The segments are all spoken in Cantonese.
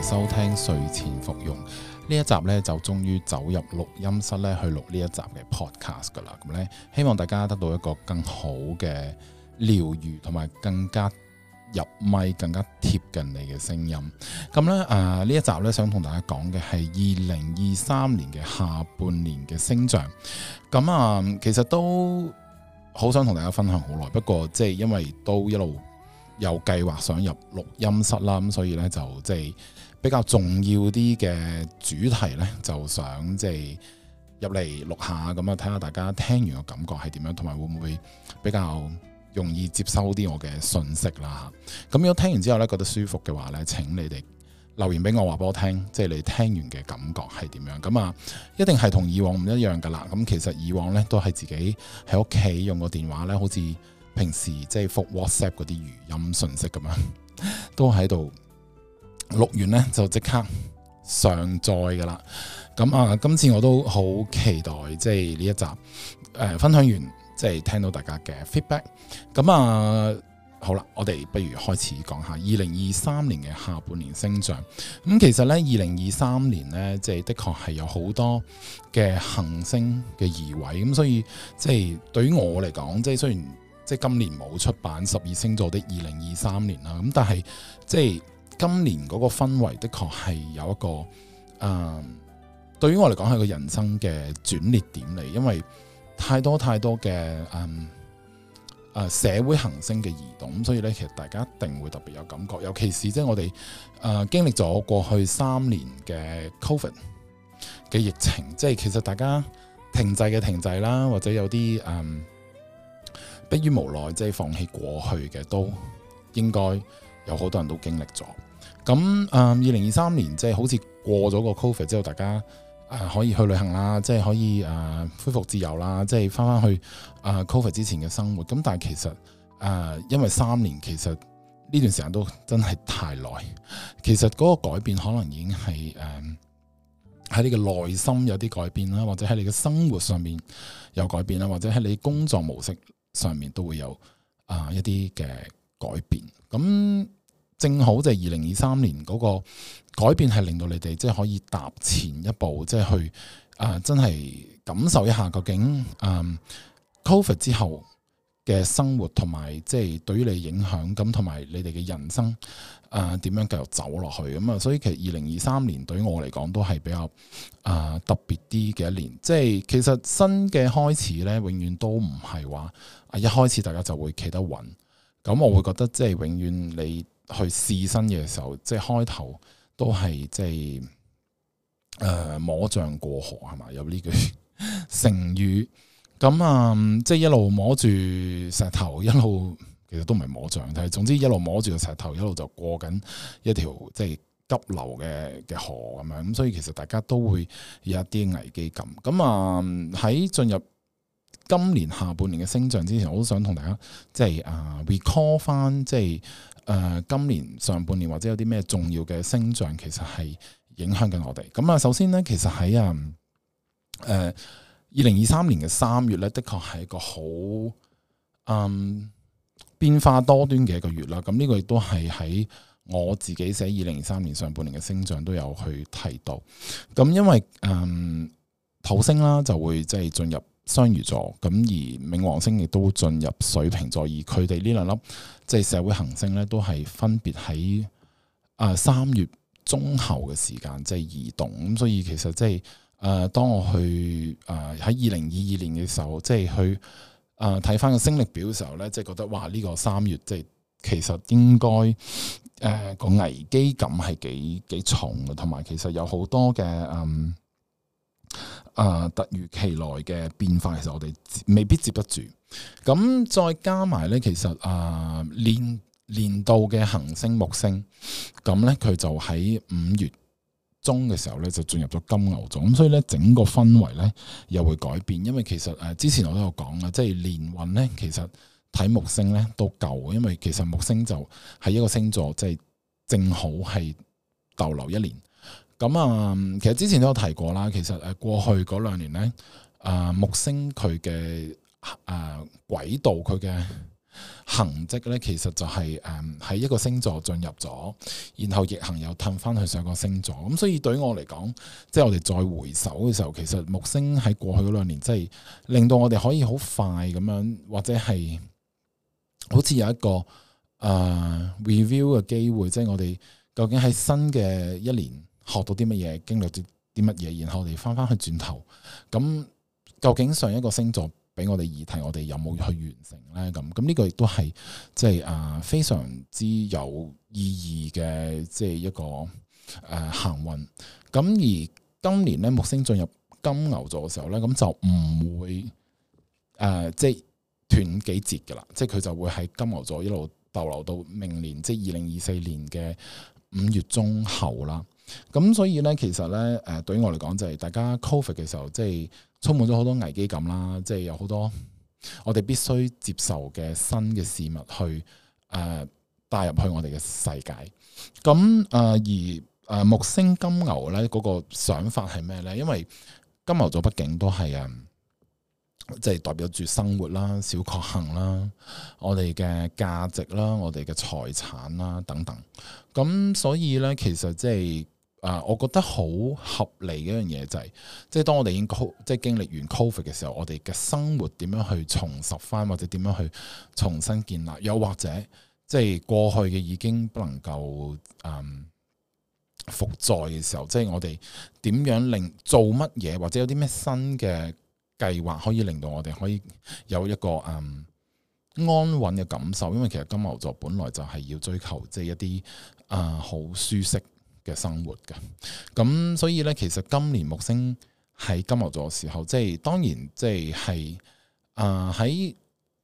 迎收聽睡前服用呢一集咧，就終於走入錄音室咧去錄呢一集嘅 podcast 噶啦。咁咧，希望大家得到一個更好嘅療愈，同埋更加入咪、更加貼近你嘅聲音。咁咧，呢一集咧想同大家講嘅係2023年嘅下半年嘅星象。咁其實都好想同大家分享好耐，不過即係因為都一路有計劃想入錄音室啦，咁所以咧就即係比較重要啲嘅主題咧，就想即係入嚟錄下，咁啊睇下大家聽完個感覺係點樣，同埋會唔會比較容易接收啲我嘅信息啦。咁如果聽完之後咧覺得舒服嘅話咧，請你哋留言俾我，話俾我聽，即係你聽完嘅感覺係點樣。咁一定係同以往唔一樣噶啦。咁其實以往咧都係自己喺屋企用個電話咧，好似平時即係覆 WhatsApp 嗰啲語音信息咁樣，都喺度錄完咧就即刻上載噶啦。咁今次我都好期待即係呢一集分享完，即係聽到大家嘅 feedback。咁好啦，我哋不如開始講下2023年嘅下半年星象。咁其實咧2023年咧，即係的確係有好多嘅行星嘅移位，咁所以即係對於我嚟講，即係雖然即係今年冇出版12星座的2023年啦，咁但係即係今年嗰個氛圍的確係有一個對於我嚟講係個人生嘅轉捩點嚟，因為太多嘅社會行星嘅移動，所以咧其實大家一定會特別有感覺，尤其是即係我哋經歷咗過去3年嘅 Covid 嘅疫情，即係其實大家停滯啦，或者有啲迫於無奈即係放棄過去嘅，都應該有好多人都經歷咗。咁2023年即係好似過咗個 Covid 之後，大家可以去旅行啦，即係可以恢復自由啦，即係翻去Covid 之前嘅生活。咁但係其實因為3年，其實呢段時間都真係太耐。其實嗰個改變可能已經係喺你嘅內心有啲改變啦，或者喺你嘅生活上面有改變啦，或者喺你工作模式上面都會有一啲嘅改變。咁正好就係2023年嗰個改變係令到你哋即係可以踏前一步，即係去真係感受一下究竟Covid 之後嘅生活同埋即係對於你影響，咁同埋你哋嘅人生點樣繼續走落去。咁所以其實2023年對於我嚟講都係比較特別啲嘅一年。即係其實新嘅開始咧，永遠都唔係話一開始大家就會企得穩。咁我會覺得即係永遠你去試新嘅時候，即係開頭都係即係摸象過河係嘛，有呢句成語。咁即係一路摸住石頭，一路其實都唔係摸象，但係總之一路摸住個石頭，一路就過緊一條即係急流嘅河咁樣。咁所以其實大家都會有一啲危機感。咁喺進入今年下半年嘅星象之前，我都想同大家即係recall 翻，即係今年上半年或者有啲咩重要嘅星象，其實係影響緊我哋。咁首先咧，其實喺2023年嘅3月咧，的確係一個好變化多端嘅一個月啦。咁呢個亦都係喺我自己寫2023年上半年嘅星象都有去提到。咁因為土星啦就會即係進入雙魚座，咁而冥王星亦都進入水瓶座，而佢哋呢兩粒即係社會行星咧，都係分別喺3月中後嘅時間即係移動。咁所以其實即係當我去喺2022年嘅時候，即係去睇翻個星曆表嘅時候咧，即係覺得哇呢個3月即係其實應該個危機感係幾重嘅，同埋其實有好多嘅突如其來嘅變化，其實我哋未必接得住。咁再加埋咧，其實年度嘅行星木星，咁咧佢就喺5月中嘅時候咧就進入咗金牛座，咁所以咧整個氛圍咧又會改變。因為其實之前我都有講啦，即係年運咧，其實睇木星咧都夠，因為其實木星就係一個星座，即係正好係逗留1年。咁其實之前都有提過啦。其實過去嗰2年咧，木星佢嘅軌道，佢嘅痕跡咧，其實就係喺一個星座進入咗，然後逆行又褪翻去上個星座。咁所以對於我嚟講，即係我哋再回首嘅時候，其實木星喺過去嗰2年，即係令到我哋可以好快咁樣，或者係好似有一個review 嘅機會，即係我哋究竟喺新嘅一年學到啲乜嘢，經歷啲乜嘢，然後我哋翻去轉頭，咁究竟上一個星座俾我哋議題，我哋有冇去完成咧？咁呢個亦都係即係非常之有意義嘅，即係一個行運。咁而今年咧木星進入金牛座嘅時候咧，咁就唔會即係斷幾節噶啦，即係佢就會喺金牛座一路逗留到明年，即係2024年嘅5月中後啦。咁所以咧，其實咧，對於我嚟講就係大家 Covid 嘅時候，即係充滿咗好多危機感啦，即係有好多我哋必須接受嘅新嘅事物去帶入去我哋嘅世界。咁而木星金牛咧嗰個想法係咩咧？因為金牛座畢竟都係即係代表住生活啦、小確幸啦、我哋嘅價值啦、我哋嘅財產啦等等。咁所以咧，其實即係我覺得好合理嘅一樣嘢就係，即係當我哋已經即係經歷完 Covid 嘅時候，我哋嘅生活點樣去重拾翻，或者點樣去重新建立，又或者即係過去嘅已經不能夠復在嘅時候，即係我哋點樣做乜嘢，或者有啲咩新嘅計劃可以令到我哋可以有一個安穩嘅感受。因為其實金牛座本來就係要追求即係一啲好舒適嘅生活嘅。咁所以咧，其實今年木星喺金牛座嘅時候，即係當然即係喺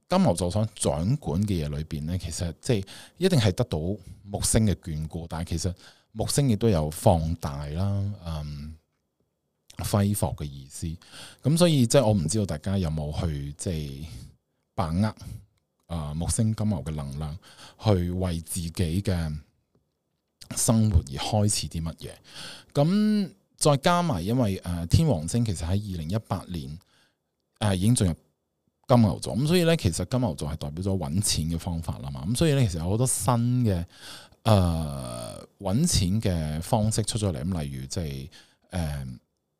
金牛座所掌管嘅嘢裏邊咧，其實即係一定係得到木星嘅眷顧，但係其實木星亦都有放大啦，揮霍嘅意思。咁所以即係我唔知道大家有冇去即係把握木星金牛嘅能量，去為自己嘅生活而開始啲乜嘢。咁再加埋，因為天王星其實喺2018年已經進入金牛座，咁所以咧，其實金牛座係代表咗揾錢嘅方法啦嘛。咁所以咧，其實有好多新嘅揾錢嘅方式出咗嚟。咁例如即係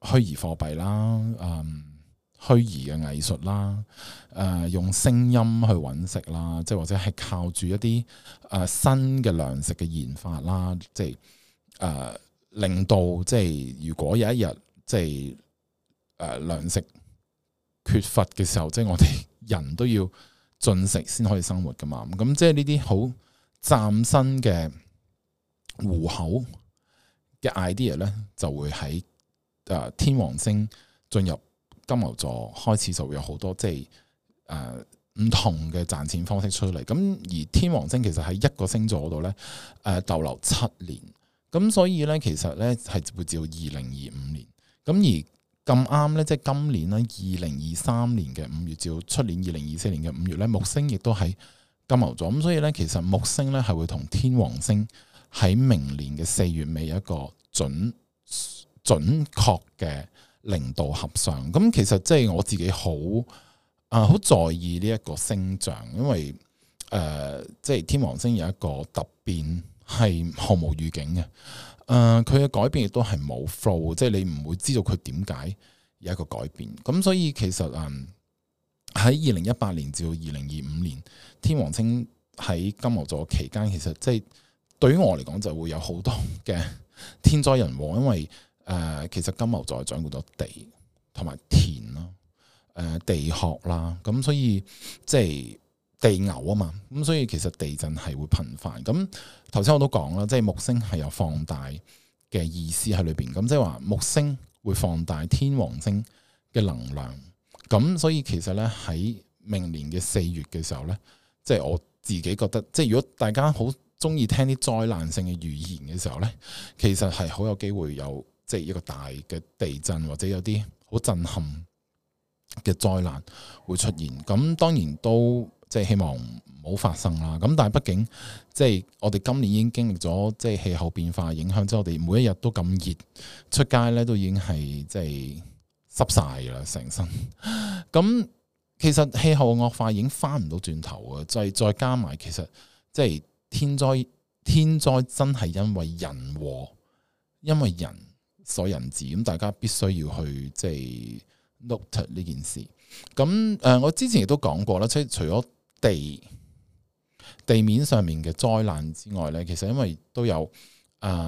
虛擬貨幣啦，虛擬嘅藝術啦，用聲音去揾食啦，即係或者係靠住一啲新嘅糧食嘅研發啦，即係令到即係如果有一日即係糧食缺乏嘅時候，即係我哋人都要進食先可以生活噶嘛。咁即係呢啲好嶄新嘅糊口嘅 idea 咧，就會喺天王星進入金牛座開始，就會有好多即係唔同嘅賺錢方式出嚟。咁而天王星其實喺一個星座嗰度咧逗留7年，咁所以咧其實咧係會至到2025年。咁而咁啱咧，即係今年咧2023年嘅5月至到出年2024年嘅5月咧，木星亦都喺金牛座。咁所以咧，其實木星咧係會同天王星喺明年嘅4月尾有一個準確嘅0度合相。咁其實即係我自己好在意呢一個星象，因為即係天王星有一個突變係毫無預警嘅。佢嘅改變亦都係冇 flow， 即係你唔會知道佢點解有一個改變。咁所以其實喺2018年至到2025年，天王星喺金牛座期間，其實即係對於我嚟講就會有好多嘅天災人禍，因為其實金牛座係掌管咗地同埋田啦，地殼啦，咁所以即係地牛啊嘛，咁所以其實地震係會頻繁。咁頭先我都講啦，即係木星係有放大嘅意思喺裏邊，咁即係話木星會放大天王星嘅能量。咁所以其實咧喺明年嘅4月嘅時候咧，即係我自己覺得，即係如果大家好中意聽啲災難性嘅預言嘅時候咧，其實係好有機會有即係一個大嘅地震，或者有啲好震撼嘅災難會出現。咁當然都即係希望唔好發生啦。咁但係畢竟即係我哋今年已經經歷咗即係氣候變化影響之後，我哋每一日都咁熱，出街咧都已經係即係濕晒噶啦成身。咁其實氣候惡化已經翻唔到轉頭啊！再加埋，其實即係天災真係因為人禍，因為人所引致，咁大家必須要去即係 note 呢件事。咁我之前亦都講過啦，即係除咗地面上面嘅災難之外咧，其實因為都有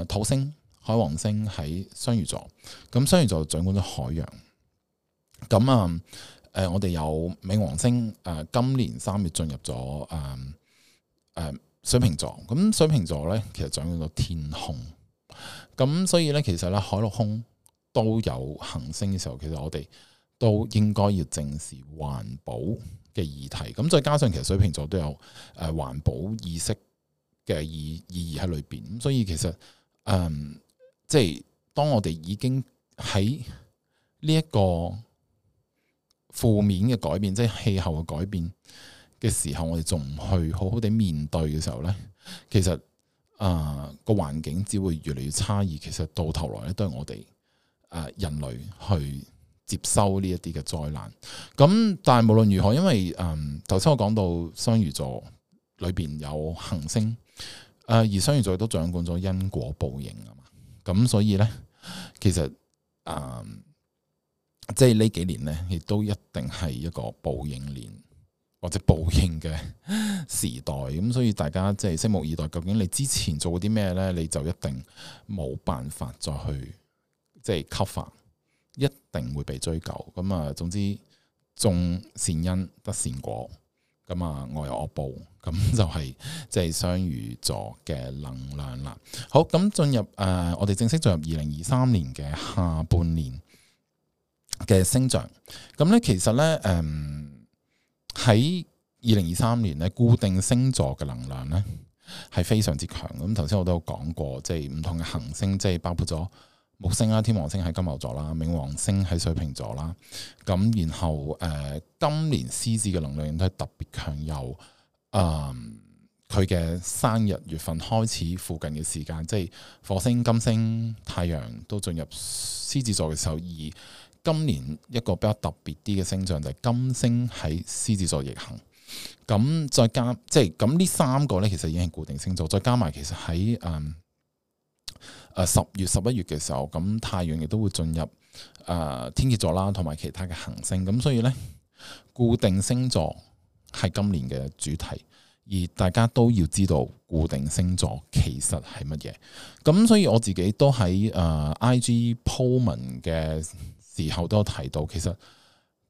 土星、海王星喺雙魚座，咁雙魚座掌管咗海洋。咁我哋有冥王星今年3月進入咗水瓶座，咁水瓶座咧其實掌管咗天空，咁所以咧其實咧海陸空都有行星嘅時候，其實我哋都應該要正視環保嘅議題。咁再加上其實水瓶座都有環保意識嘅意義喺裏邊，咁所以其實即係當我哋已經喺呢一個負面嘅改變，即係氣候嘅改變嘅時候，我哋仲唔去好好地面對嘅時候咧，其實個環境只會越嚟越差，而其實到頭來咧都係我哋人類去接收呢一啲嘅災難。咁但係無論如何，因為頭先我講到雙魚座裏邊有行星，而雙魚座都掌管咗因果報應啊嘛。咁所以咧，其實即係呢幾年咧，亦都一定係一個報應年或者報應嘅時代。咁所以大家即係拭目以待，究竟你之前做過啲咩咧，你就一定冇辦法再去即係 cover，一定會被追究。咁總之種善因得善果，咁惡有惡報，咁就係即係雙魚座嘅能量啦。好，咁進入我哋正式進入2023年嘅下半年嘅星象。咁咧其實咧喺2023年咧，固定星座嘅能量咧係非常之強。咁頭先我都有講過，即係唔同嘅行星，即係包括咗木星啦、天王星喺金牛座啦、冥王星喺水瓶座啦。咁然後今年獅子嘅能量都係特別強，由佢嘅生日月份開始附近嘅時間，即係火星、金星、太陽都進入獅子座嘅時候，而今年一個比較特別啲嘅星象就係金星喺獅子座逆行。咁再加即係咁呢3個咧，其實已經係固定星座。再加埋其實喺10月、11月嘅時候，咁太陽亦都會進入天蠍座啦，同埋其他嘅行星。咁所以咧，固定星座係今年嘅主題，而大家都要知道固定星座其實係乜嘢。咁所以我自己都喺IG po 文嘅時候都有提到，其實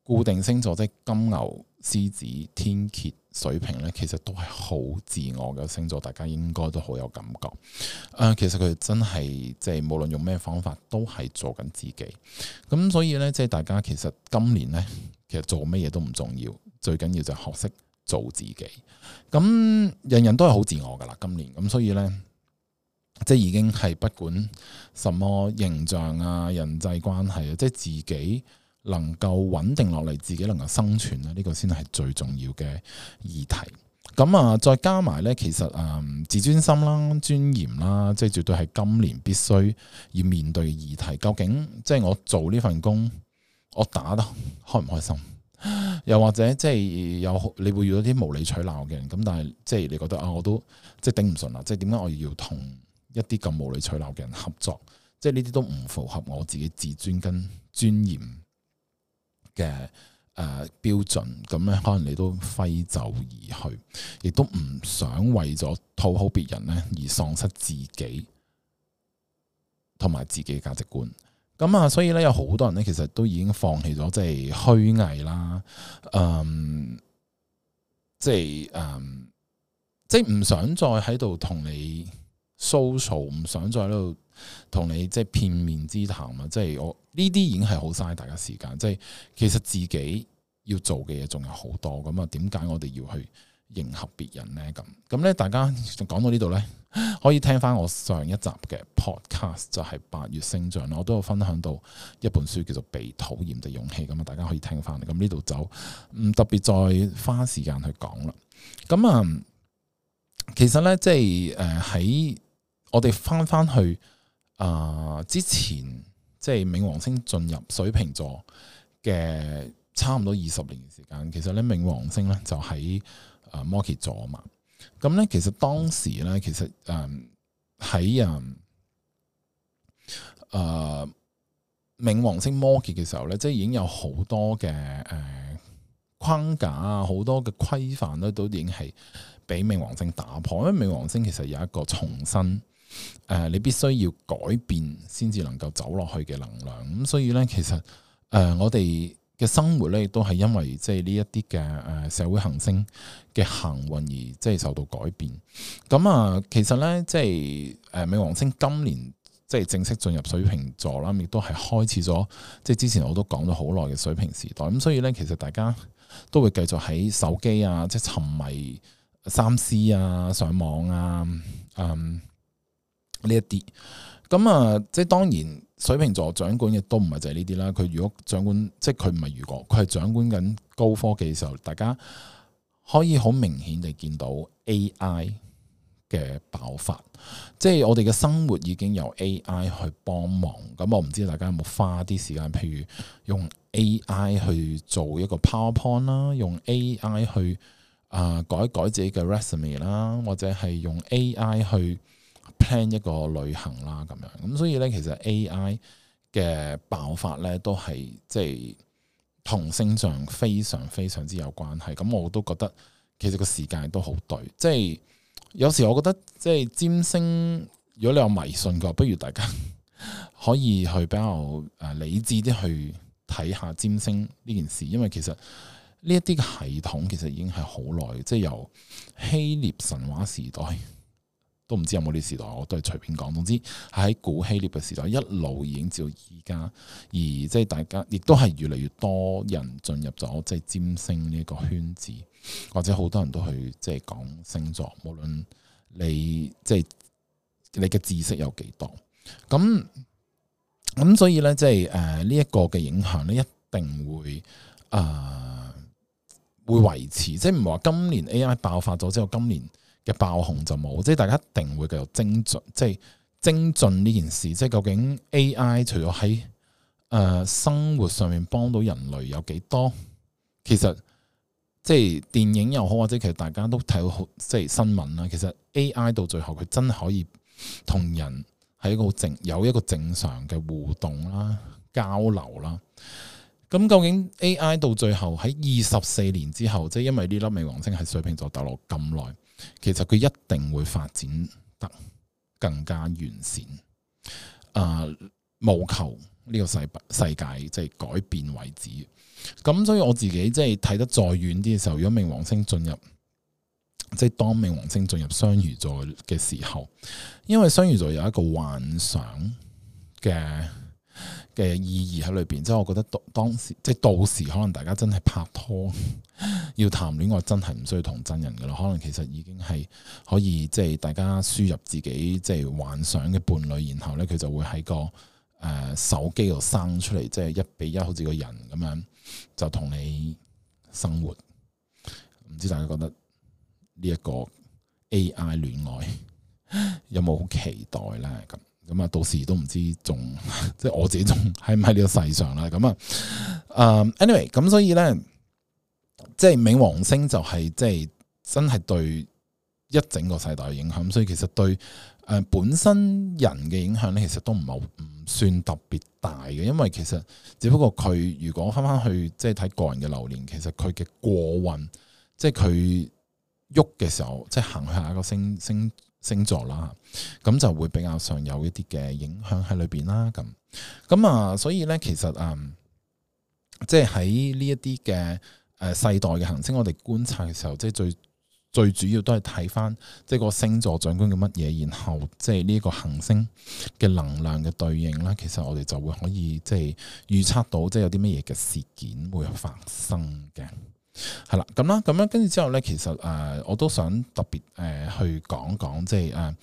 固定星座即係金牛、獅子、天蠍、水瓶咧，其實都係好自我嘅星座，大家應該都好有感覺。其實佢哋真係即係無論用咩方法，都係做緊自己。咁所以咧，即係大家其實今年咧，其實做乜嘢都唔重要，最緊要就係學識做自己。咁人人都係好自我噶啦，今年咁，所以咧，即係已經係不管什麼形象啊、人際關係啊，即係自己能夠穩定落嚟，自己能夠生存啊，呢個先係最重要嘅議題。咁再加埋咧，其實自尊心啦、尊嚴啦，即係絕對係今年必須要面對嘅議題。究竟即係我做呢份工，我打得開唔開心？又或者即係你會遇到啲無理取鬧嘅人，咁但係即係你覺得我都即係頂唔順啦，即係點解我要同一啲咁無理取鬧嘅人合作？即係呢啲都唔符合我自己自尊跟尊嚴嘅標準，咁咧可能你都揮袖而去，亦都唔想為咗討好別人咧而喪失自己同埋自己嘅價值觀。咁所以咧有好多人咧其實都已經放棄咗即係虛偽啦，即係唔想再喺度同你 social， 唔想再喺度同你即係片面之談啊！即係我呢啲已經係好嘥大家時間。即係其實自己要做嘅嘢仲有好多，咁點解我哋要去迎合別人呢？咁咧，大家講到呢度咧，可以聽翻我上一集嘅 podcast， 就係8月星象，我都有分享到一本書叫做《被討厭的勇氣》，咁大家可以聽翻。咁呢度就唔特別再花時間去講啦。咁其實咧，即係喺我哋翻去之前，即係冥王星進入水瓶座嘅差唔多20年嘅時間。其實咧冥王星咧就喺摩羯座啊嘛。咁咧其實當時咧其實喺冥王星摩羯嘅時候咧，即係已經有好多嘅框架啊，好多嘅規範咧，都已經係俾冥王星打破。因為冥王星其實有一個重新你必須要改變先至能夠走落去嘅能量。咁所以咧，其實我哋嘅生活咧，亦都係因為即係呢一啲嘅社會行星嘅行運而即係受到改變。咁其實咧，即係冥王星今年即係正式進入水瓶座啦，亦都係開始咗即係之前我都講咗好耐嘅水瓶時代。咁所以咧，其實大家都會繼續喺手機啊，即係沉迷3C啊、上網啊、呢一啲。咁即係當然水瓶座掌管嘅都唔係就係呢啲啦。佢如果掌管，即係佢唔係佢係掌管緊高科技嘅時候，大家可以好明顯地見到 AI 嘅爆發。即係我哋嘅生活已經由 AI 去幫忙。咁我唔知大家有冇花啲時間，譬如用 AI 去做一個 PowerPoint 啦，用 AI 去改一改自己嘅 resume 啦，或者係用 AI 去 plan 一個旅行啦咁樣。咁所以咧，其實 AI 嘅爆發咧都係即係同星象非常非常之有關係。咁我都覺得其實個時間都好對。即係有時我覺得即係占星，如果你有迷信嘅話，不如大家可以去比較理智啲去睇下占星呢件事。因為其實呢一啲嘅系統其實已經係好耐，即係由希臘神話時代都唔知有冇呢時代，我都係隨便講。總之係喺古希臘嘅時代一路已經至到而家，而即係大家亦都係越嚟越多人進入咗即係占星呢個圈子，或者好多人都去即係講星座，無論你即係你嘅知識有幾多，咁所以咧即係呢一個嘅影響咧一定會會維持，即係唔係話今年 AI 爆發咗之後，今年嘅爆紅就冇，即係大家一定會繼續精進，即係精進呢件事。即係究竟 AI 除咗喺生活上面幫到人類有幾多？其實即係電影又好，或者其實大家都睇到好即係新聞啦。其實 AI 到最後佢真係可以同人係一個有一個正常嘅互動啦、交流啦。咁究竟 AI 到最後喺24年之後，即係因為呢粒冥王星喺水瓶座逗留咁耐，其實佢一定會發展得更加完善。務求呢個世界即係改變為止。咁所以我自己即係睇得再遠啲嘅時候，如果冥王星進入，即係當冥王星進入雙魚座嘅時候，因為雙魚座有一個幻想嘅意義喺裏邊，即係我覺得當時即係到時可能大家真係拍拖要談戀愛，真係唔需要同真人噶啦，可能其實已經係可以即係大家輸入自己即係幻想嘅伴侶，然後咧佢就會喺個手機度生出嚟，即係1比1，好似個人咁樣就同你生活。唔知大家覺得呢一個 AI 戀愛有冇好期待咧？咁到時都唔知仲即係我自己仲喺唔喺呢個世上啦。anyway， 咁所以咧，即係冥王星就係即係真係對一整個世代嘅影響。所以其實對本身人嘅影響咧，其實都唔算特別大嘅。因為其實只不過佢如果翻去即係睇個人嘅流年，其實佢嘅過運，即係佢喐嘅時候，即係行去下一個星座啦，咁就會比較上有一啲嘅影響喺裏邊啦。所以咧，其實即係喺呢一啲嘅世代嘅行星，我哋觀察嘅時候，即係最主要都係睇翻即係個星座掌管嘅乜嘢，然後即係呢個行星嘅能量嘅對應啦。其實我哋就會可以即係預測到即係有啲乜嘢嘅事件會發生嘅。係啦，咁樣跟住之後咧，其實我都想特別去講，即係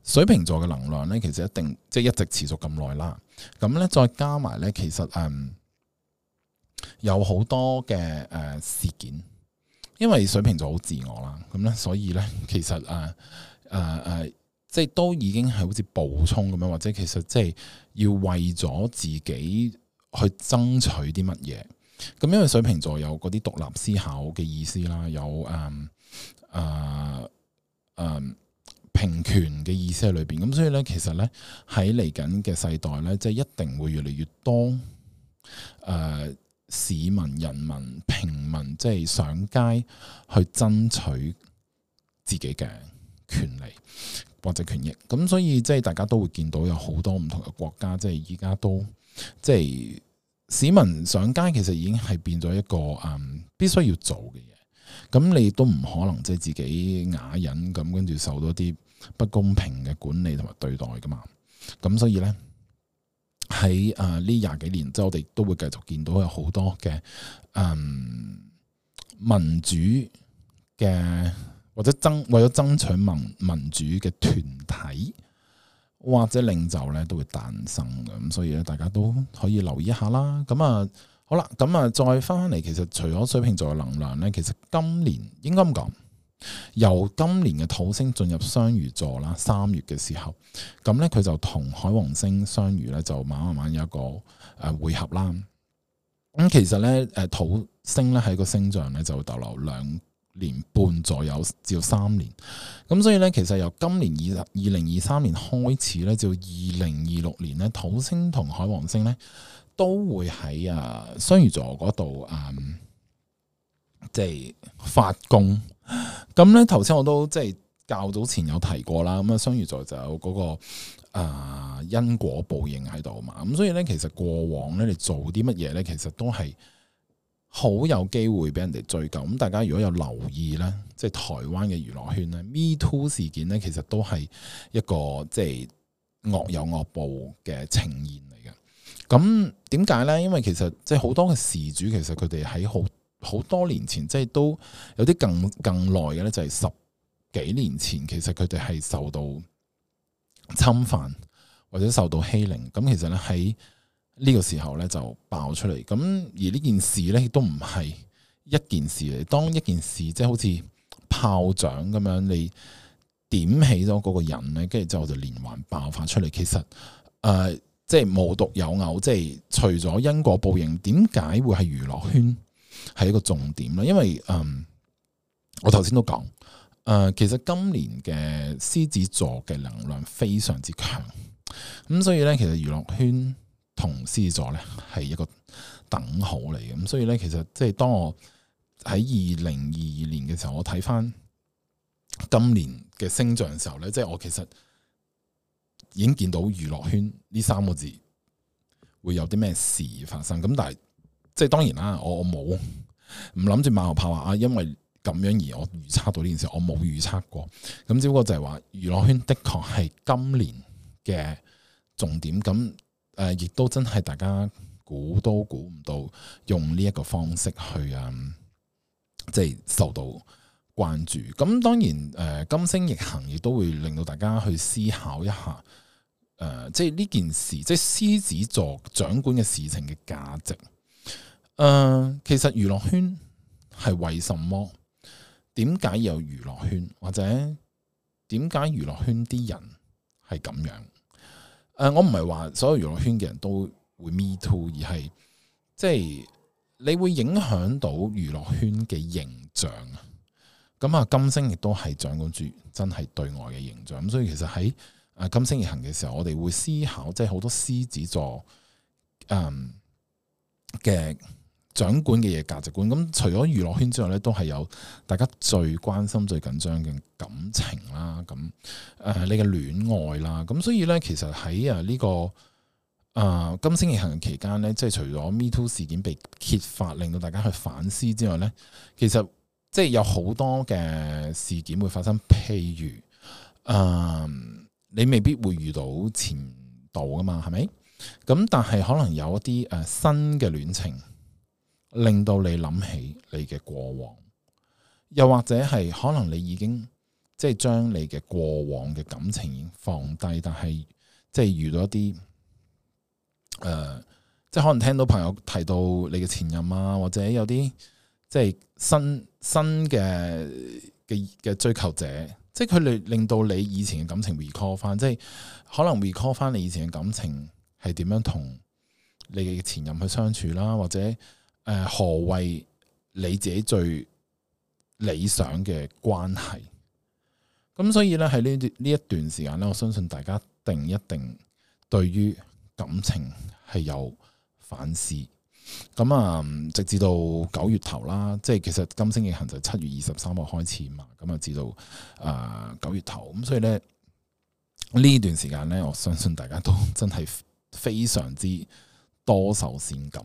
水瓶座嘅能量咧，其實一定即係一直持續咁耐啦。咁咧再加埋咧，其實有好多嘅事件，因為水瓶座好自我啦，咁咧所以咧其實即係都已經係好似暴衝咁樣，或者其實即係要為咗自己去爭取啲乜嘢。咁因為水瓶座有嗰啲獨立思考嘅意思啦，有平權嘅意思喺裏邊。咁所以咧，其實咧喺嚟緊嘅世代咧，即係一定會越嚟越多市民、人民、平民，即係上街去爭取自己嘅權利或者權益。咁所以即係大家都會見到有好多唔同嘅國家，即係而家都即係市民上街，其實已經係變咗一個必須要做嘅嘢。咁你都唔可能即係自己啞忍咁，跟住受到啲不公平嘅管理同埋對待噶嘛。咁所以咧喺呢20幾年，即係我哋都會繼續見到有好多嘅民主嘅或者為咗爭取民主嘅團體或者領袖咧都會誕生嘅。咁所以咧大家都可以留意一下啦。咁好啦，咁再翻嚟，其實除咗水瓶座嘅能量咧，其實今年應該咁講，由今年嘅土星進入雙魚座啦，3月嘅時候，咁咧佢就同海王星雙魚咧就慢慢有一個會合啦。咁其實咧土星咧喺個星象咧就會逗留2年半左右至到3年。咁所以咧其實由今年2023年開始咧，至到2026年咧，土星同海王星咧都會喺雙魚座嗰度即係發功。咁咧頭先我都即係較早前有提過啦。咁雙魚座就有嗰個因果報應喺度嘛。咁所以咧其實過往咧你做啲乜嘢咧，其實都係好有機會俾人哋追究。咁大家如果有留意咧，即係台灣嘅娛樂圈咧，Me Too 事件咧，其實都係一個即係惡有惡報嘅呈現嚟嘅。咁點解咧？因為其實即係好多嘅事主，其實佢哋喺好多年前，即係都有啲更耐嘅咧，就係10幾年前，其實佢哋係受到侵犯或者受到欺凌。咁其實咧喺呢個時候咧就爆出嚟。咁而呢件事咧亦都唔係一件事嚟。當一件事即係好似炮仗咁樣，你點起咗嗰個人咧，跟住之後就連環爆發出嚟。其實即係無獨有偶，即係除咗因果報應，點解會係娛樂圈係一個重點咧？因為我頭先都講，其實今年嘅獅子座嘅能量非常之強，咁所以咧，其實娛樂圈同獅子座咧係一個等號嚟嘅。咁所以咧，其實即係當我喺2022年嘅時候，我睇翻今年嘅星象嘅時候咧，即係我其實已經見到娛樂圈呢3個字會有啲咩事發生。咁但係即係當然啦，我冇唔諗住馬後炮話因為咁樣而我預測到呢件事，我冇預測過。咁只不過就係話娛樂圈的確係今年嘅重點。咁亦都真係大家估都估唔到，用呢一個方式去即係受到關注。咁當然金星逆行亦都會令到大家去思考一下，即係呢件事，即係獅子座掌管嘅事情嘅價值。其實娛樂圈係為什麼？點解有娛樂圈？或者點解娛樂圈啲人係咁樣？我唔係話所有娛樂圈嘅人都會 Me Too， 而係即係你會影響到娛樂圈嘅形象。咁金星亦都係掌管住真係對外嘅形象。咁所以其實喺金星逆行嘅時候，我哋會思考，即係好多獅子座嘅掌管嘅嘢價值觀。咁除咗娛樂圈之外咧，都係有大家最關心、最緊張嘅感情啦。咁你嘅戀愛啦。咁所以咧，其實喺呢個金星逆行嘅期間咧，即係除咗 Me Too 事件被揭發，令到大家去反思之外咧，其實即係有好多嘅事件會發生。譬如你未必會遇到前度噶嘛，係咪？咁但係可能有一啲新嘅戀情，令到你諗起你嘅過往，又或者係可能你已經即係將你嘅過往嘅感情已經放低，但係即係遇到一啲即係可能聽到朋友提到你嘅前任啊，或者有啲即係新嘅追求者。即係佢哋令到你以前嘅感情 recall 翻，即係可能 recall 翻你以前嘅感情係點樣同你嘅前任去相處啦，或者何謂你自己最理想嘅關係？咁所以咧喺呢一段時間咧，我相信大家一定對於感情係有反思。咁啊，直至到9月頭啦，即係其實金星逆行就7月23號開始嘛，咁啊至到9月頭，咁所以咧呢段時間咧，我相信大家都真係非常之多愁善感，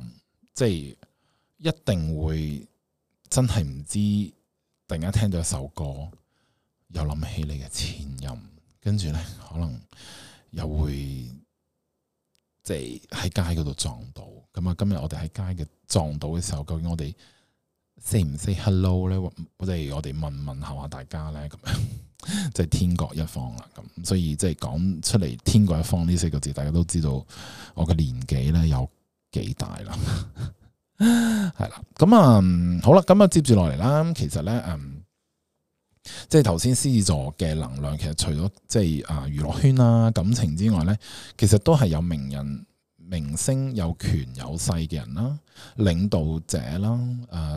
即係一定會真係唔知突然間聽到一首歌，又諗起你嘅前任，跟住咧可能又會即係喺街嗰度撞到。咁啊，今日我哋喺街嘅撞到嘅時候，究竟我哋 say 唔 say hello 咧？我哋問下大家咧，咁樣即係天各一方啦。咁所以即係講出嚟天各一方呢4個字，大家都知道我嘅年紀咧有幾大啦。係啦，咁啊好啦，咁啊接住落嚟啦。其實咧，即係頭先獅子座嘅能量，其實除咗即係娛樂圈啦、感情之外咧，其實都係有名人、明星、有權有勢嘅人啦、領導者啦、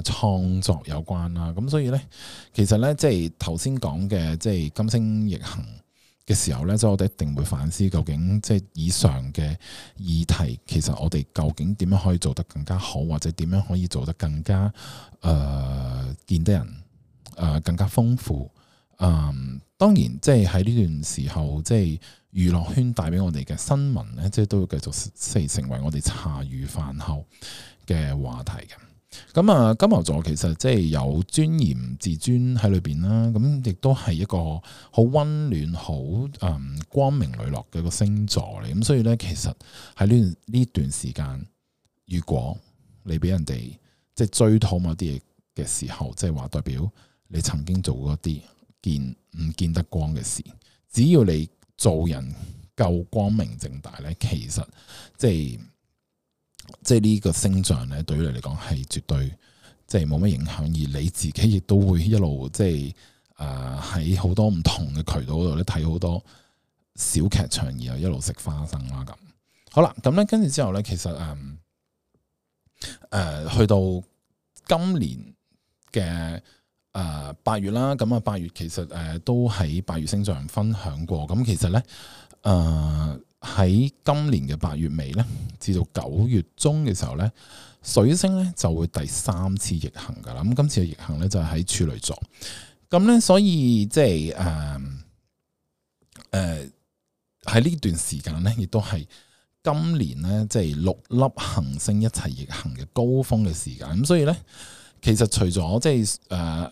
創作有關啦。咁所以咧，其實咧即係頭先講嘅，即係金星逆行嘅時候咧，即係我哋一定會反思，究竟即係以上嘅議題，其實我哋究竟點樣可以做得更加好，或者點樣可以做得更加見得人更加豐富。當然即係喺呢段時候，即係娛樂圈帶俾我哋嘅新聞咧，即係都會繼續成為我哋茶餘飯後嘅話題嘅。咁啊，金牛座其實即係有尊嚴、自尊喺裏邊啦，咁亦都係一個好溫暖、好光明磊落嘅一個星座嚟。咁所以咧，其實喺呢段時間，如果你俾人哋即係追討某啲嘢嘅時候，即係話代表你曾經做過一啲唔見得光嘅事，只要你做人夠光明正大咧，其實即係呢個星象咧，對於你嚟講係絕對即係冇乜影響，而你自己亦都會一路即係喺好多唔同嘅渠道度咧睇好多小劇場，然後一路食花生啦咁。好啦，咁咧跟住之後咧，其實去到今年嘅8月啦，咁啊8月其實都喺8月星象分享過，咁其實咧喺今年嘅8月尾咧，至到9月中嘅時候咧，水星咧就會第3次逆行噶啦。咁今次嘅逆行咧就係喺處女座，咁咧所以即係喺呢段時間咧，亦都係今年咧即係6粒行星一齊逆行嘅高峰嘅時間。咁所以咧，其實除咗即係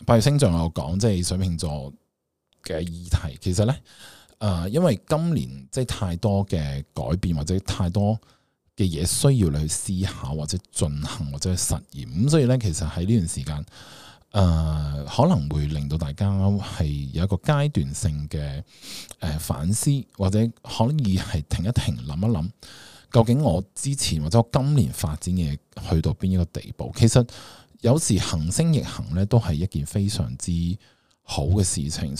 8月星象有講即係水瓶座嘅議題，其實咧。因為今年即係太多嘅改變或者太多嘅嘢需要你去思考或者進行或者去實驗，咁所以咧其實喺呢段時間，可能會令到大家係有一個階段性嘅反思，或者可以係停一停諗一諗，究竟我之前或者我今年發展嘅去到邊一個地步？其實有時行星逆行咧都係一件非常之好嘅事情，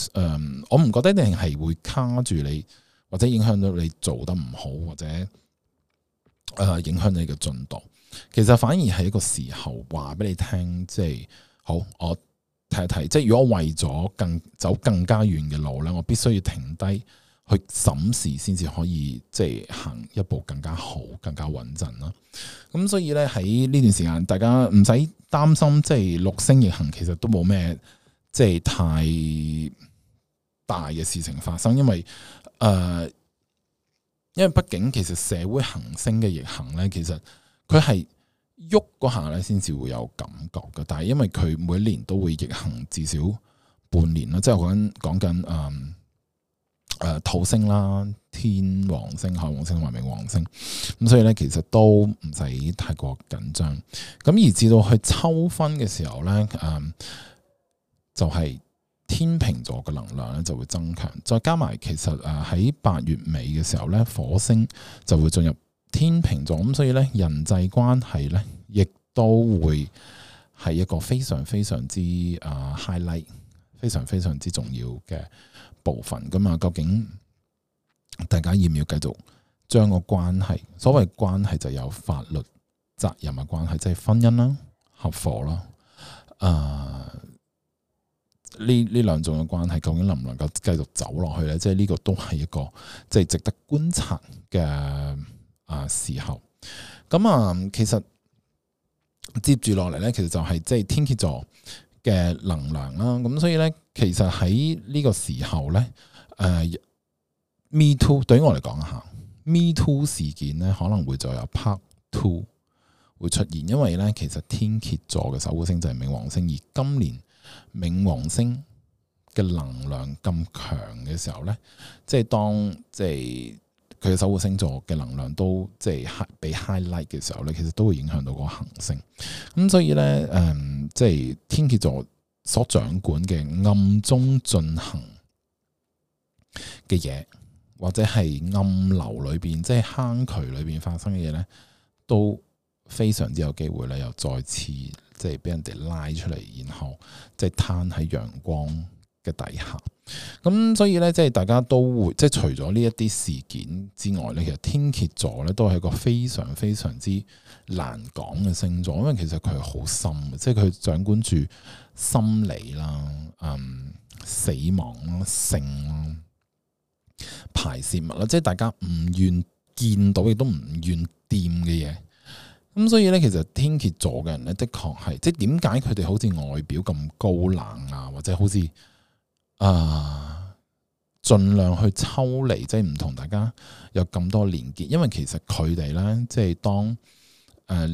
我唔覺得一定係會卡住你，或者影響到你做得唔好，或者影響你嘅進度。其實反而係一個時候話俾你聽，即係好，我睇一睇，即係如果我為咗走更加遠嘅路咧，我必須要停低去審視，先至可以即係行一步更加好、更加穩陣啦。咁所以咧喺呢段時間，大家唔使擔心，即係6星逆行，其實都冇咩。即係太大嘅事情發生，因為畢竟其實社會行星嘅逆行咧，其實佢係喐嗰下咧先至會有感覺嘅。但係因為佢每年都會逆行至少半年啦，即係我講緊土星啦、天王星、海王星同埋冥王星，咁所以咧其實都唔使太過緊張。咁而至到去秋分嘅時候咧，就係天秤座嘅能量咧就會增強，再加埋其實喺8月尾嘅時候咧，火星就會進入天秤座，咁所以咧人際關係咧亦都會係一個非常非常之highlight，非常非常之重要嘅部分。咁啊，究竟大家要唔要繼續將個關係？所謂關係就有法律責任嘅關係，即係婚姻啦、合夥啦。呢兩種嘅關係究竟能唔能夠繼續走落去咧？即係呢個都係一個即係值得觀察嘅時候。咁其實接住落嚟咧，其實就係即係天蠍座嘅能量啦。咁所以咧，其實喺呢個時候咧，Me Too 對於我嚟講下 Me Too 事件咧可能會再有 Part 2會出現，因為咧其實天蠍座嘅守護星就係冥王星，而今年冥王星嘅能量咁強嘅時候咧，即係當即係佢嘅守護星座嘅能量都即係被 highlight 嘅時候咧，其實都會影響到個行星。咁所以咧，即係天蠍座所掌管嘅暗中進行嘅嘢，或者係暗流裏邊，即係坑渠裏邊發生嘅嘢咧，都非常之有機會咧，又再次即係俾人哋拉出嚟，然後即係攤喺陽光嘅底下。咁所以咧，即係大家都會即係除咗呢一啲事件之外咧，其實天蠍座咧都係一個非常非常之難講嘅星座，因為其實佢係好深嘅，即係佢掌管住心理啦、死亡啦、性啦、排泄物啦，即係大家唔願見到亦都唔願掂嘅嘢。咁所以咧，其實天蠍座嘅人咧，的確係即係點解佢哋好似外表咁高冷啊，或者好似盡量去抽離，即係唔同大家有咁多連結。因為其實佢哋咧，即係當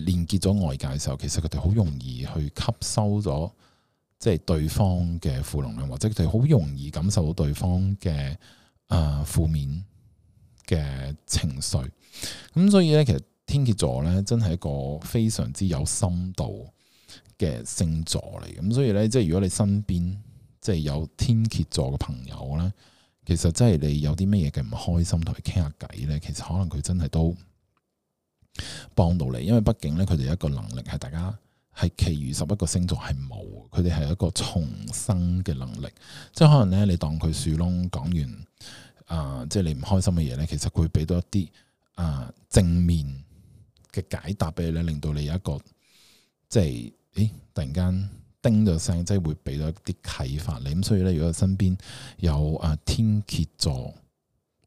連結咗外界嘅時候，其實佢哋好容易去吸收咗即係對方嘅負能量，或者佢哋好容易感受到對方嘅負面嘅情緒。咁所以咧，其實天蠍座咧真係一個非常之有深度嘅星座嚟。咁所以咧，即係如果你身邊即係有天蠍座嘅朋友咧，其實真係你有啲乜嘢嘅唔開心，同佢傾下偈咧，其實可能佢真係都幫到你。因為畢竟咧，佢哋有一個能力係大家係其餘11個星座係冇，佢哋係一個重生嘅能力。即係可能咧，你當佢樹窿講完即係你唔開心嘅嘢咧，其實佢會俾到一啲正面嘅解答俾你咧，令到你有一個即係突然間叮咗聲，即係會俾到一啲啟發你。咁所以咧，如果身邊有天蠍座，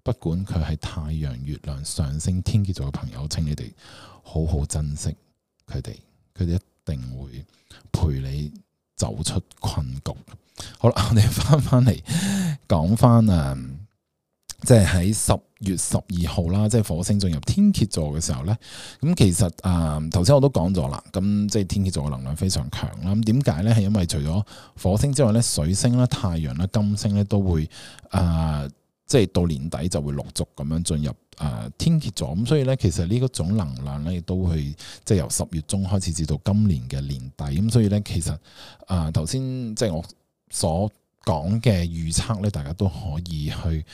不管佢係太陽、月亮、上升天蠍座嘅朋友，請你哋好好珍惜佢哋，佢哋一定會陪你走出困局。好啦，我哋翻嚟講翻即係喺10月12號啦，即係火星進入天蠍座嘅時候咧，咁其實頭先我都講咗啦，咁即係天蠍座嘅能量非常強啦。咁點解咧？係因為除咗火星之外咧，水星啦、太陽啦、金星咧都會即係到年底就會陸續咁樣進入天蠍座。咁所以咧，其實呢一種能量咧，亦都會即係由10月中開始至到今年嘅年底。咁所以咧，其實頭先即係我所講嘅預測咧，大家都可以去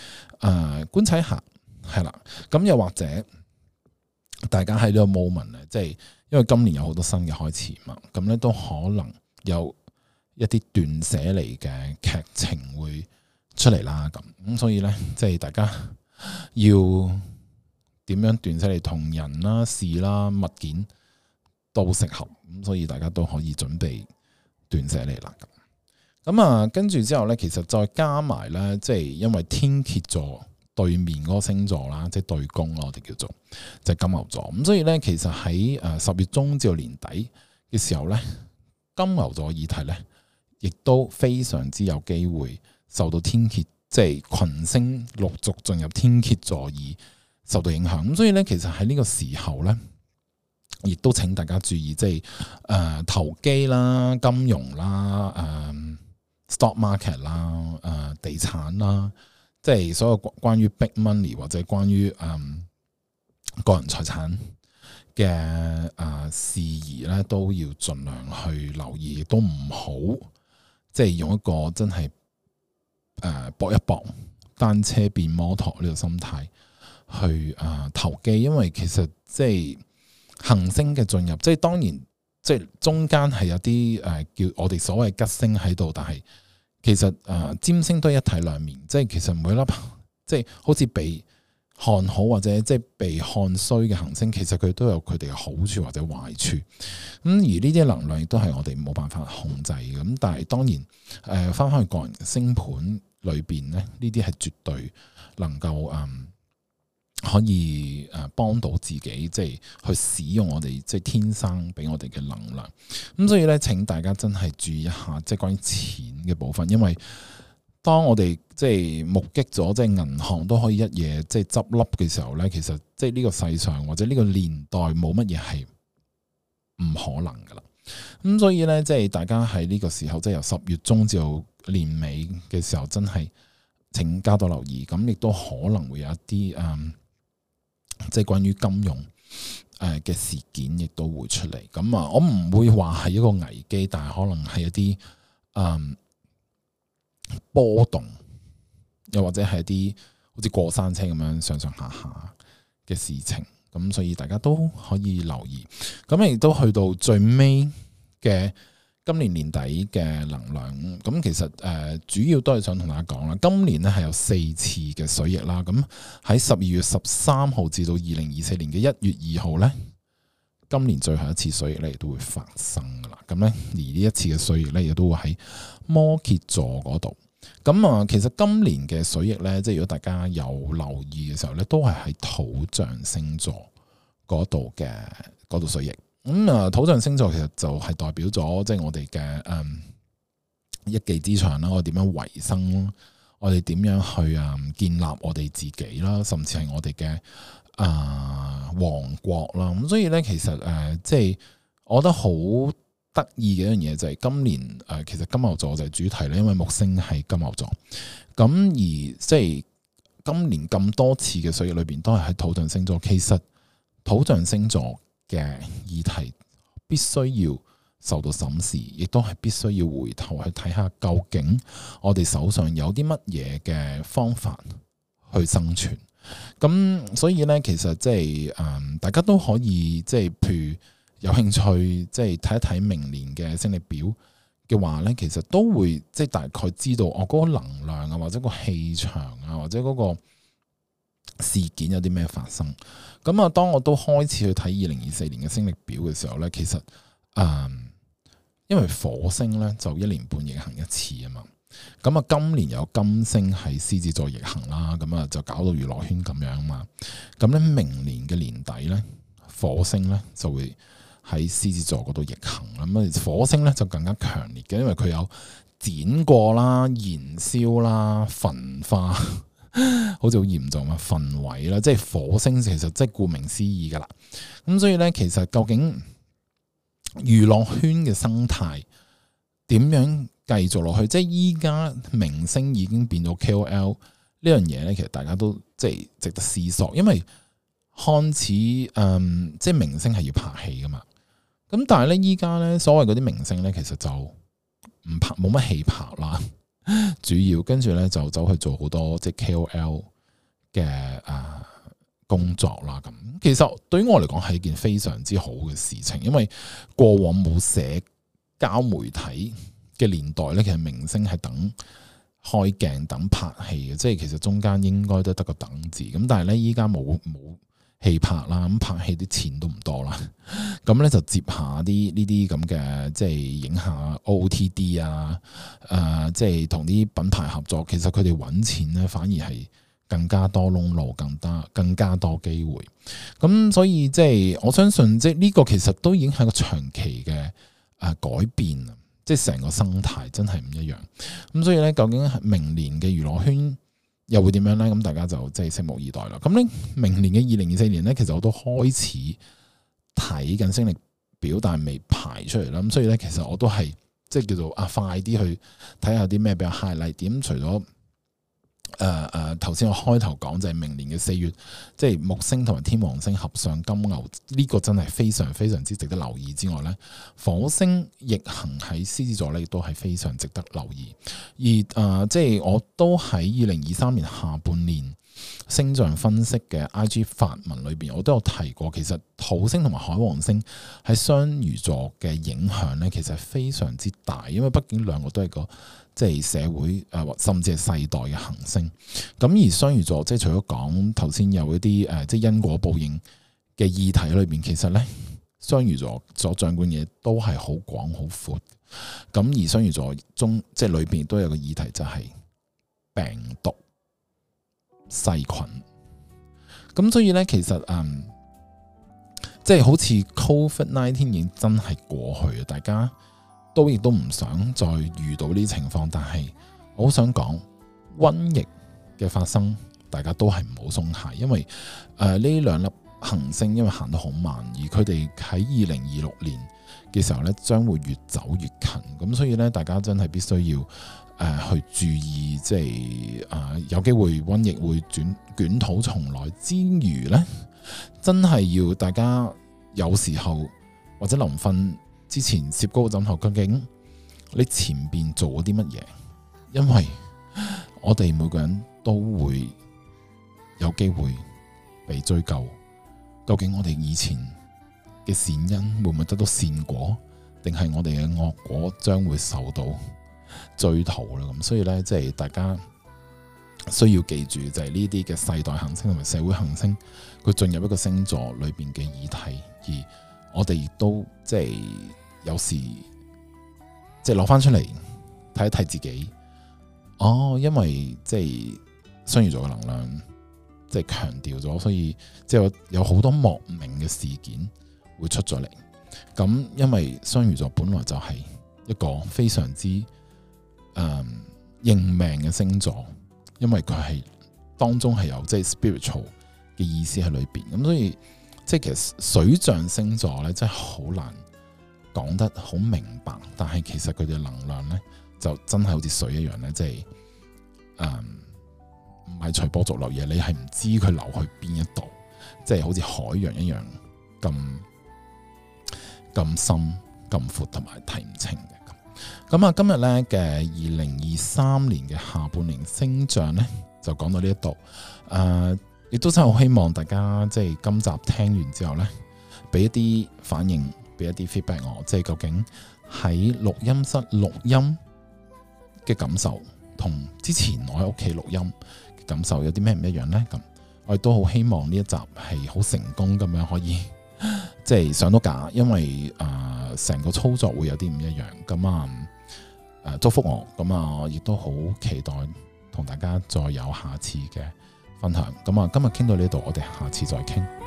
觀察一下，係啦。咁又或者大家喺呢個 moment 咧，即係因為今年有好多新嘅開始嘛，咁咧都可能有一啲斷捨離嘅劇情會出嚟啦。咁所以咧，即係大家要點樣斷捨離，同人啦、事啦、物件都適合。咁所以大家都可以準備斷捨離啦。咁跟住之後咧，其實再加埋咧，即係因為天蠍座對面嗰個星座啦，即係對宮咯，我哋叫做就係金牛座。咁所以咧，其實喺10月中至到年底嘅時候咧，金牛座議題咧，亦都非常之有機會受到天蠍即係群星陸續進入天蠍座而受到影響。咁所以咧，其實喺呢個時候咧，亦都請大家注意，即係投機啦、金融啦、stock market 啦、地產啦，即係所有關於 big money 或者關於個人財產嘅事宜咧，都要盡量去留意，亦都唔好即係用一個真係搏一搏單車變摩托呢個心態去投機。因為其實即係行星嘅進入，即係當然即係中間係有啲叫我哋所謂吉星喺度，但係其實占星都係一體兩面，即係其實每一粒即係好似被看好或者即係被看衰嘅行星，其實佢都有佢哋嘅好處或者壞處。而呢啲能量亦都係我哋冇辦法控制嘅。咁但係當然翻返去個人星盤裏邊咧，呢啲係絕對能夠可以幫到自己，即係去使用我哋即係天生俾我哋嘅能量。咁所以咧，請大家真係注意一下，即係關於錢嘅部分，因為當我哋即係目擊咗即係銀行都可以一夜即係執笠嘅時候咧，其實即係呢個世上或者呢個年代冇乜嘢係唔可能噶啦。咁所以咧，即係大家喺呢個時候，即係由10月中至到年尾嘅時候，真係請加多留意。咁亦都可能會有一啲即係關於金融嘅事件，亦都會出嚟。咁我唔會話係一個危機，但係可能係一啲波動，又或者係一啲好似過山車咁樣上上下下嘅事情。咁所以大家都可以留意。咁亦都去到最尾嘅今年年底嘅能量。咁其實主要都係想同大家講啦，今年咧係有4次嘅水逆啦。咁喺12月13號至到2024年嘅1月2號咧，今年最後一次水逆咧亦都會發生噶啦。咁咧而呢一次嘅水逆咧亦都會喺摩羯座嗰度。咁其實今年嘅水逆咧，即係如果大家有留意嘅時候咧，都係喺土象星座嗰度水逆。咁土象星座其實就係代表咗即係我哋嘅一技之長啦，我哋點樣維生，我哋點樣去建立我哋自己啦，甚至係我哋嘅王國啦。咁所以咧，其實即係我覺得好得意嘅一樣嘢就係今年其實金牛座就係主題咧，因為木星係金牛座。咁而即係今年咁多次嘅水逆裏邊，都係喺土象星座。其實土象星座嘅議題必須要受到審視，亦都係必須要回頭去睇下，究竟我哋手上有啲乜嘢嘅方法去生存。咁所以咧，其實即係大家都可以即係譬如有興趣即係睇一睇明年嘅星曆表嘅話咧，其實都會即係大概知道我嗰個能量啊，或者個氣場啊，或者嗰個事件有啲咩發生。咁當我都開始去睇2024年嘅星曆表嘅時候咧，其實因為火星咧就1年半逆行一次啊嘛。咁今年有金星喺獅子座逆行啦，咁就搞到娛樂圈咁樣啊嘛。咁咧明年嘅年底咧，火星咧就會喺獅子座嗰度逆行啦。咁火星咧就更加強烈嘅，因為佢有剪過啦、燃燒啦、焚化。好似好嚴重啊，焚毀啦，即係火星其實即係顧名思義噶啦。咁所以咧，其實究竟娛樂圈嘅生態點樣繼續落去？即係依家明星已經變到 KOL 呢樣嘢咧，其實大家都即係值得思索。因為看似即係明星係要拍戲噶嘛，咁但係咧依家咧所謂嗰啲明星咧，其實就唔拍，冇乜戲拍啦。主要跟住咧就走去做好多即係 KOL 嘅工作啦。咁其實對於我嚟講係一件非常之好嘅事情，因為過往冇社交媒體嘅年代咧，其實明星係等開鏡等拍戲嘅，即係其實中間應該都得個等字。咁但係咧依家冇戲拍啦，咁拍戲啲錢都唔多啦，咁咧就接下啲呢啲咁嘅，即係影下 OOTD 啊，即係同啲品牌合作，其實佢哋揾錢咧反而係更加多窿路，更加多機會。咁所以即係我相信，即係呢個其實都已經係個長期嘅改變，即係成個生態真係唔一樣。咁所以咧，究竟明年嘅娛樂圈又會點樣咧？咁大家就即係拭目以待啦。咁咧，明年嘅2024年咧，其實我都開始睇緊星曆表，但係未排出嚟啦。咁所以咧，其實我都係即係叫做快啲去睇下啲咩比較 highlight 點。除咗頭先我開頭講就係明年嘅4月，即係木星同埋天王星合上金牛，呢個真係非常非常之值得留意之外咧，火星逆行喺獅子座咧，亦都係非常值得留意。而即係我都喺2023年下半年星象分析嘅 IG 發文裏邊，我都有提過，其實土星同埋海王星喺雙魚座嘅影響咧，其實係非常之大，因為畢竟兩個都係個即係社會甚至係世代嘅行星。咁而雙魚座即係除咗講頭先有一啲即係因果報應嘅議題裏邊，其實咧雙魚座所掌管嘢都係好廣好闊。咁而雙魚座中即係裏邊都有個議題，就係病毒細菌。咁所以咧，其實即係好似 COVID-19 已經真係過去啊，大家都亦都唔想再遇到呢啲情況。但係我好想講，瘟疫嘅發生，大家都係唔好鬆懈，因為呢兩粒行星因為行得好慢，而佢哋喺2026年嘅時候咧，將會越走越近。咁所以咧，大家真係必須要去注意，即係有機會瘟疫會捲土重來之餘咧，真係要大家有時候或者臨瞓之前攝高個枕頭，究竟你前邊做咗啲乜嘢？因為我哋每個人都會有機會被追究，究竟我哋以前嘅善因會唔會得到善果，定係我哋嘅惡果將會受到追討啦？咁所以咧，即係大家需要記住，就係呢啲嘅世代行星同埋社會行星，佢進入一個星座裏邊嘅議題，而我哋亦都即係有時即係攞翻出嚟睇一睇自己。因為即係雙魚座嘅能量即係強調咗，所以即係有好多莫名嘅事件會出咗嚟。咁因為雙魚座本來就係一個非常之認命嘅星座，因為佢係當中係有即係 spiritual 嘅意思喺裏邊。咁所以即係其實水象星座咧，真係好難講得好明白。但係其實佢哋能量咧，就真係好似水一樣咧，即係唔係隨波逐流嘢，你係唔知佢流去邊一度，即係好似海洋一樣咁深、咁闊同埋睇唔清嘅。咁今日咧嘅2023年嘅下半年星象咧，就講到呢一度。亦都真係好希望大家即係今集聽完之後咧，俾一啲反應，俾一啲 feedback 我，即係究竟喺錄音室錄音嘅感受，同之前我喺屋企錄音嘅感受有啲咩唔一樣呢？咁我亦都好希望呢一集係好成功咁樣可以即係上到架，因為成個操作會有啲唔一樣。咁祝福我，咁亦都好期待同大家再有下次嘅分享。咁今日傾到呢度，我哋下次再傾。